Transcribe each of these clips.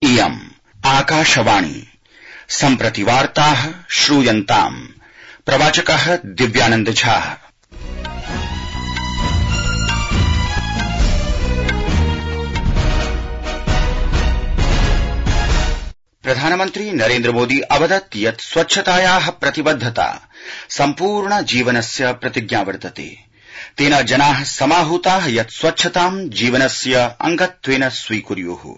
इयम् आकाशवाणी सम्प्रति वार्ताः श्रूयन्ताम् प्रवाचकः दिव्यानंद झा। प्रधानमन्त्री नरेन्द्र मोदी अवदत् यत् स्वच्छतायाः प्रतिबद्धता सम्पूर्ण जीवनस्य प्रतिज्ञा वर्तते। तेन जनाः समाहूताः यत् स्वच्छतां जीवनस्य अंगत्वेन स्वीकुर्युः।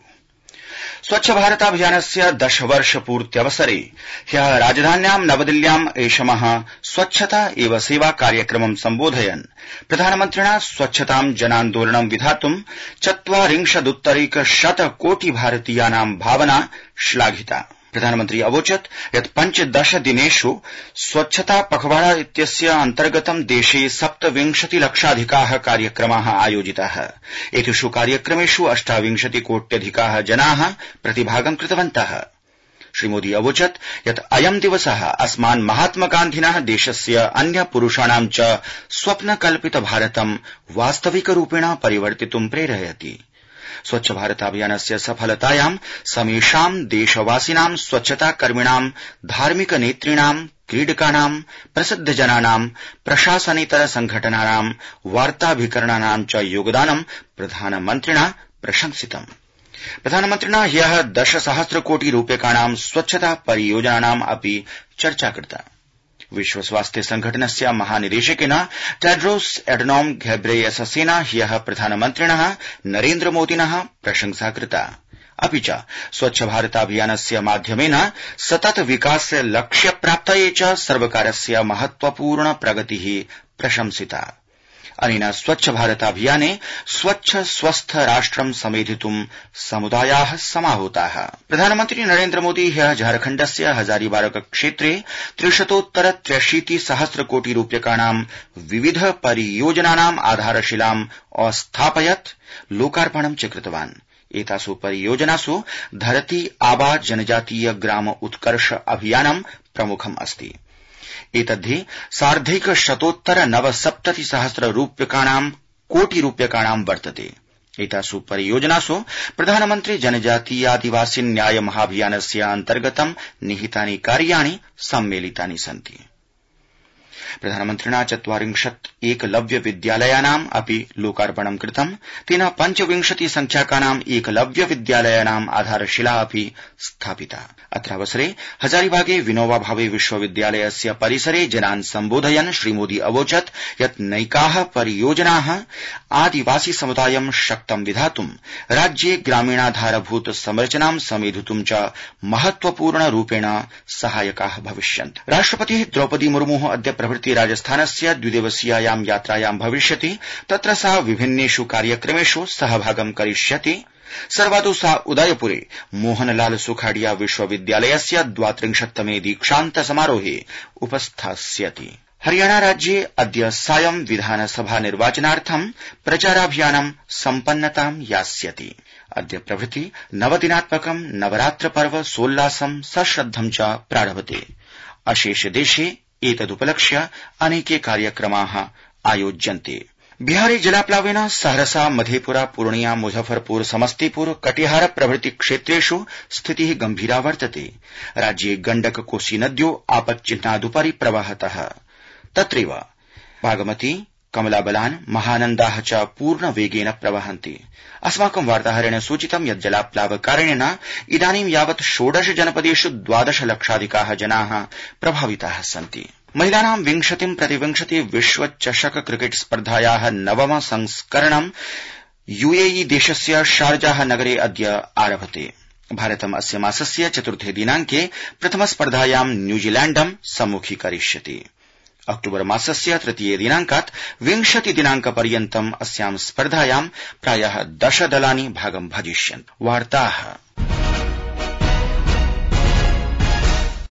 स्वच्छ भारताभियानस्य 10 वर्ष पूर्त्यवसरे ह्यः राजधान्यां नवदिल्ल्याम् ऐषमः स्वच्छता एव सेवा कार्यक्रमं सम्बोधयन् प्रधानमन्त्रिणा स्वच्छतां जनान्दोलनं विधातुं 40 कोटि भारतीयानां भावना श्लाघिता। प्रधानमन्त्री अवोचत् यत् 15 दिनेषु स्वच्छता पखवाड़ा इत्यस्य अन्तर्गतं देशे 27 लक्षाधिकाः कार्यक्रमाः आयोजिताः। एतेषु कार्यक्रमेषु 28 कोट्यधिकाः जनाः प्रतिभागं कृतवन्तः। श्रीमोदी अवोचत् यत् अयं दिवसः अस्मान् महात्मा गान्धिनः देशस्य अन्य पुरुषाणां च स्वप्नकल्पित भारतं वास्तविकरूपेण परिवर्तितुं प्रेरयति। स्वच्छ भारताभियानस्य सफलतायां समेषां देशवासिनां स्वच्छता कर्मिणां धार्मिक नेतॄणां क्रीडकानां प्रसिद्धजनानां प्रशासनेतर संघटनानां वार्ताभिकरणानां च योगदानं प्रधानमन्त्रिणा प्रशंसितम्। प्रधानमन्त्रिणा ह्यः 10 सहस्र कोटि रूप्यकाणां स्वच्छता परियोजनानाम् अपि चर्चा कृता। विश्व स्वास्थ्य संघटनस्य महानिदेशकेन टेड्रोस एडनॉम घेब्रेयेससेन ह्यः प्रधानमन्त्रिणः नरेन्द्र मोदिनः प्रशंसा कृता। अपि च स्वच्छ भारताभियानस्य माध्यमेन सतत विकास लक्ष्य प्राप्तये च सर्वकारस्य महत्वपूर्ण प्रगतिः प्रशंसिता। अनेन स्वच्छ भारताभियाने स्वच्छ स्वस्थ राष्ट्रं समेधितुं समुदायाः समाहूताः। प्रधानमन्त्री नरेन्द्र मोदी ह्यः झारखण्डस्य हजारीबाग क्षेत्रे 383 सहस्र कोटि रूप्यकाणां विविध परियोजनानाम् आधारशिलाम् अस्थापयत्, लोकार्पणं च कृतवान्। एतासु परियोजनासु धरती आबा जनजातीय ग्राम उत्कर्ष अभियानं प्रमुखम् अस्ति। एतद्धि 1,170 सहस्र कोटि रूप्यकाणां वर्तते। एतासु परियोजनासु प्रधानमन्त्री जनजातीयादिवासी न्याय महाभियानस्य अन्तर्गतं निहितानि कार्याणि सम्मेलितानि सन्ति। प्रधानमन्त्रिणा 40 एकलव्य विद्यालयानाम् अपि लोकार्पणं कृतम्। तेन 25 संख्याकानाम् एकलव्य विद्यालयानाम् आधारशिला अपि स्थापिता। अत्रावसरे हजारीबागे विनोबा भावे विश्वविद्यालयस्य परिसरे जनान् सम्बोधयन् श्रीमोदी अवोचत् यत् नैकाः परियोजनाः आदिवासी समुदायं शक्तं विधातुं राज्ये ग्रामीणाधारभूत संरचनां समेधितुं च महत्वपूर्ण रूपेण सहायकाः भविष्यन्ति। राष्ट्रपतिः द्रौपदी मुर्मुः अद्य प्रभृति राजस्थानस्य 2 दिवसीयायां यात्रायां भविष्यति। तत्र सा विभिन्नेषु कार्यक्रमेषु सहभागं करिष्यति। सर्वादौ सा उदयपुरे मोहनलाल सुखाड़िया विश्वविद्यालयस्य 32तमे दीक्षान्त समारोहे उपस्थास्यति। हरियाणा राज्ये अद्य सायं विधानसभा निर्वाचनार्थं प्रचाराभियानं सम्पन्नतां यास्यति। अद्य प्रभृति नवदिनात्मकं नवरात्र पर्व सोल्लासं सश्रद्धं च प्रारभते। अशेष देशे एतदुपलक्ष्य अनेके कार्यक्रमाः आयोज्यन्ते। बिहारे जलाप्लावेन सहरसा, मधेपुरा, पूर्णिया, मुजफ्फरपुर, समस्तीपुर, कटिहार प्रभृति क्षेत्रेषु स्थितिः गंभीरा वर्तते। राज्ये गण्डक, कोसी नद्यो आपच्चिह्नादुपरि प्रवहतः। तत्रैव बागमती, कमलाबलान, महानन्दाः च पूर्णवेगेन प्रवहन्ति। अस्माकं वार्ताहरेण सूचितं यत् जलाप्लावकारणेन इदानीं यावत् 16 जनपदेषु 12 लक्षाधिकाः जनाः प्रभाविताः सन्ति। महिलानां 20 विश्व चषक क्रिकेट स्पर्धायाः नवम संस्करणं यूएई देशस्य शारजाह नगरे अद्य आरभते। भारतम् अस्य मासस्य 4 दिनाङ्के प्रथम स्पर्धायां न्यूजीलैण्डं सम्मुखीकरिष्यति। अक्टूबर मासस्य 3 दिनाङ्कात् 20 दिनाङ्कपर्यन्तम् अस्यां स्पर्धायां प्रायः 10 दलानि भागं भजिष्यन्ति। वार्ताः